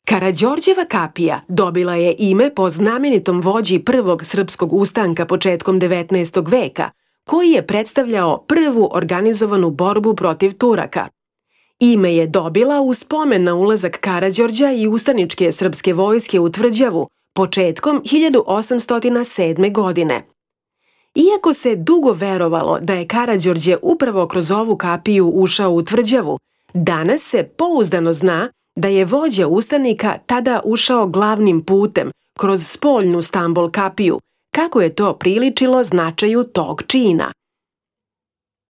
Karađorđeva kapija dobila je ime po znamenitom vođi prvog srpskog ustanka početkom 19. veka, koji je predstavljao prvu organizovanu borbu protiv Turaka. Ime je dobila u spomen na ulazak Karađorđa i ustaničke srpske vojske u Tvrđavu početkom 1807. godine. Iako se dugo verovalo da je Karađorđe upravo kroz ovu kapiju ušao u Tvrđavu, danas se pouzdano zna da je vođa ustanika tada ušao glavnim putem kroz spoljnu Stambol kapiju, kako je to priličilo značaju tog čina.